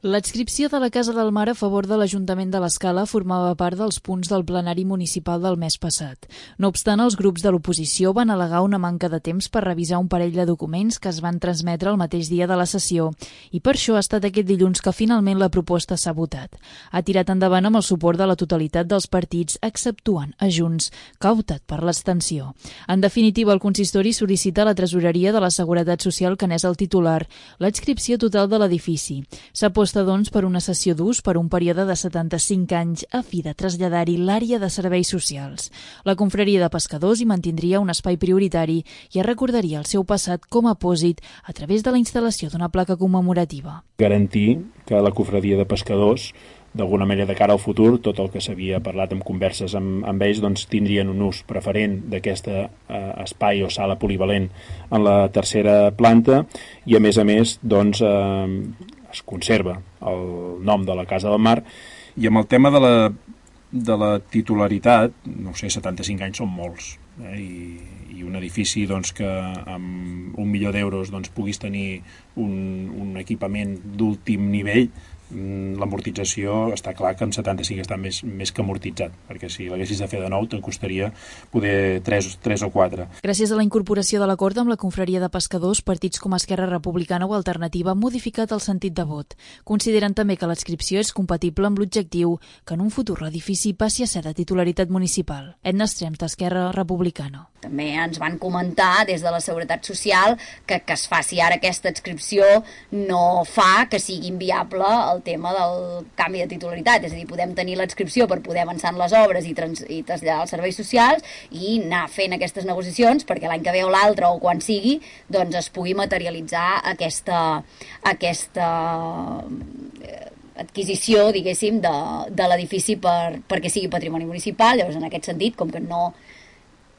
L'adscripció de la Casa del Mar a favor de l'Ajuntament de l'Escala formava part dels punts del plenari municipal del mes passat. No obstant, els grups de l'oposició van al·legar una manca de temps per revisar un parell de documents que es van transmetre el mateix dia de la sessió i per això ha estat aquest dilluns que finalment la proposta s'ha votat. Ha tirat endavant amb el suport de la totalitat dels partits, exceptuant a Junts, que ha optat per l'abstenció. En definitiva, el consistori sol·licita a la Tresoreria de la Seguretat Social, que n'és el titular, l'adscripció total de l'edifici. S'aposta doncs per una cessió d'ús per un període de 75 anys a fi de traslladar-hi l'àrea de serveis socials. La confraria de pescadors hi mantindria un espai prioritari i es recordaria el seu passat com a apòsit a través de la instal·lació d'una placa commemorativa. Garantir que la confraria de pescadors, d'alguna manera de cara al futur, tot el que s'havia parlat en converses amb ells, doncs tindrien un ús preferent d'aquest espai o sala polivalent en la tercera planta i a més doncs es conserva el nom de la Casa del Mar. I amb el tema de la titularitat, no sé, 75 anys són molts, i un edifici doncs, que amb 1 milió d'euros doncs, puguis tenir un equipament d'últim nivell, l'amortització està clar que en 75 està més que amortitzat, perquè si l'haguessis de fer de nou te'n costaria poder 3 o 4. Gràcies a la incorporació de l'acord amb la confraria de pescadors, partits com Esquerra Republicana o Alternativa han modificat el sentit de vot. Consideren també que l'adscripció és compatible amb l'objectiu que en un futur l'edifici passi a ser de titularitat municipal. Edna Estrems, d'Esquerra Republicana. També ens van comentar des de la Seguretat Social que es faci ara aquesta adscripció no fa que sigui inviable el tema del canvi de titularitat, és a dir, podem tenir l'adscripció per poder avançar en les obres i traslladar els serveis socials i anar fent aquestes negociacions perquè l'any que ve o l'altre o quan sigui doncs es pugui materialitzar aquesta adquisició, diguéssim, de l'edifici perquè sigui patrimoni municipal. Llavors, en aquest sentit, com que no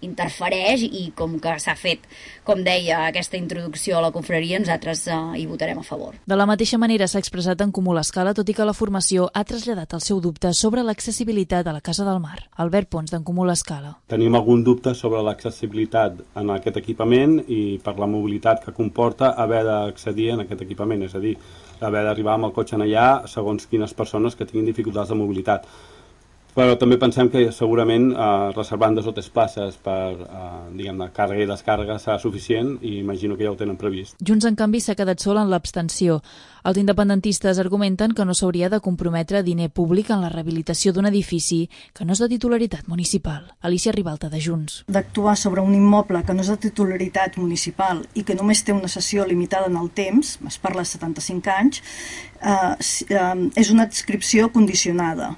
interfereix i com que s'ha fet, com deia, aquesta introducció a la confraria, nosaltres hi votarem a favor. De la mateixa manera s'ha expressat en Comú l'Escala, tot i que la formació ha traslladat el seu dubte sobre l'accessibilitat a la Casa del Mar. Albert Pons, d'en Comú l'Escala. Tenim algun dubte sobre l'accessibilitat en aquest equipament i per la mobilitat que comporta haver d'accedir en aquest equipament, és a dir, haver d'arribar amb el cotxe en allà segons quines persones que tinguin dificultats de mobilitat. Però també pensem que segurament reservant 2 o 3 places per diguem-ne, càrrega i descàrrega serà suficient i imagino que ja ho tenen previst. Junts, en canvi, s'ha quedat sol en l'abstenció. Els independentistes argumenten que no s'hauria de comprometre diner públic en la rehabilitació d'un edifici que no és de titularitat municipal. Alicia Ribalta, de Junts. D'actuar sobre un immoble que no és de titularitat municipal i que només té una cessió limitada en el temps, es parla de 75 anys, és una adscripció condicionada.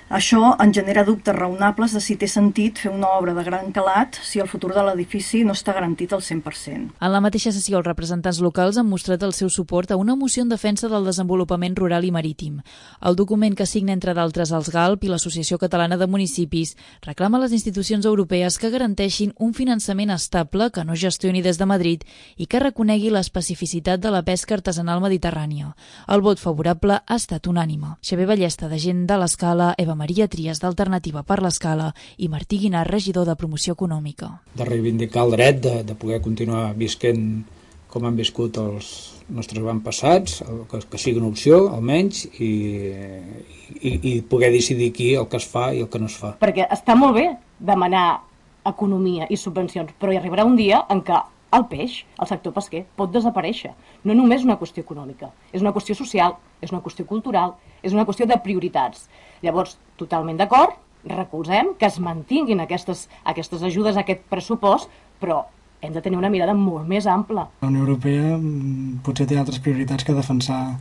Això en genera dubtes raonables de si té sentit fer una obra de gran calat si el futur de l'edifici no està garantit al 100%. En la mateixa sessió, els representants locals han mostrat el seu suport a una moció en defensa del desenvolupament rural i marítim. El document, que signa entre d'altres els GALP i l'Associació Catalana de Municipis, reclama a les institucions europees que garanteixin un finançament estable que no gestioni des de Madrid i que reconegui l'especificitat de la pesca artesanal mediterrània. El vot favorable ha estat unànime. Xavier Ballesta, de Gent de l'Escala, Eva Maria Trias, d'Alternativa per l'Escala, i Martí Guinart, regidor de Promoció Econòmica. De reivindicar el dret de poder continuar visquent com han viscut els nostres avantpassats, que sigui una opció, almenys, i poder decidir aquí el que es fa i el que no es fa. Perquè està molt bé demanar economia i subvencions, però hi arribarà un dia en què el peix, el sector pesquer, pot desaparèixer. No només una qüestió econòmica, és una qüestió social, és una qüestió cultural, és una qüestió de prioritats. Llavors, totalment d'acord, recolzem que es mantinguin aquestes ajudes, aquest pressupost, però hem de tenir una mirada molt més ampla. La Unió Europea potser té altres prioritats que defensar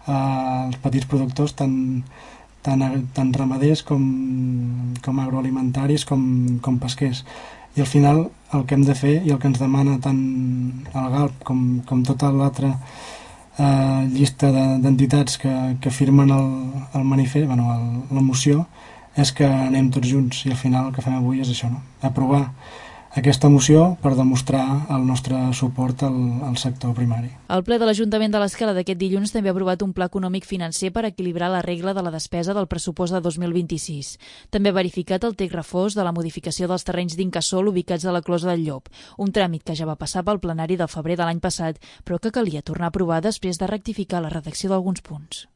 els petits productors, tant ramaders com agroalimentaris com pesquers. I al final el que hem de fer i el que ens demana tant el GALP com tota l'altra llista d'entitats que firmen el manifest, la moció, és que anem tots junts i al final el que fem avui és això, no? Aprovar aquesta moció per demostrar el nostre suport al sector primari. El ple de l'Ajuntament de l'Escala d'aquest dilluns també ha aprovat un pla econòmic financer per equilibrar la regla de la despesa del pressupost de 2026. També ha verificat el text refós de la modificació dels terrenys d'Incasòl ubicats a la Closa del Llop, un tràmit que ja va passar pel plenari del febrer de l'any passat, però que calia tornar a aprovar després de rectificar la redacció d'alguns punts.